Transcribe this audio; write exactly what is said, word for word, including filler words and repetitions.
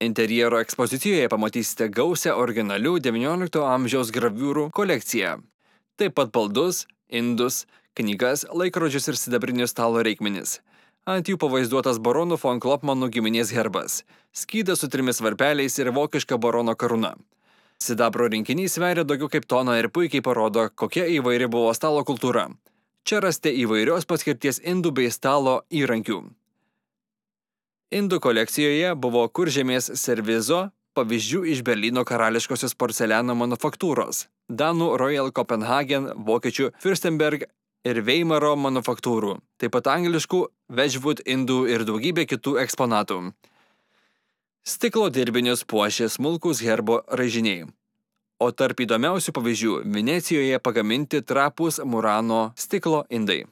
Interjero ekspozicijoje pamatysite gausią originalių devyniolikto amžiaus graviūrų kolekciją. Taip pat baldus, indus, knygas, laikrodžius ir sidabrinius stalo reikmenis. Ant jų pavaizduotas baronų von Klopmanų giminės herbas, skydas su trimis varpeliais ir vokiška barono karūna. Sidabro rinkinys sveria daugiau kaip toną ir puikiai parodo, kokia įvairi buvo stalo kultūra. Čia rasite įvairios paskirties indų bei stalo įrankių. Indų kolekcijoje buvo kuržemės servizo pavyzdžių iš Berlyno karališkosios porceliano manufaktūros, danų Royal Copenhagen, vokiečių Fürstenberg ir Veimaro manufaktūrų, taip pat angliškų Wedgwood indų ir daugybė kitų eksponatų. Stiklo dirbinius puošė smulkūs herbo raižiniai. O tarp įdomiausių pavyzdžių Venecijoje pagaminti trapūs Murano stiklo indai.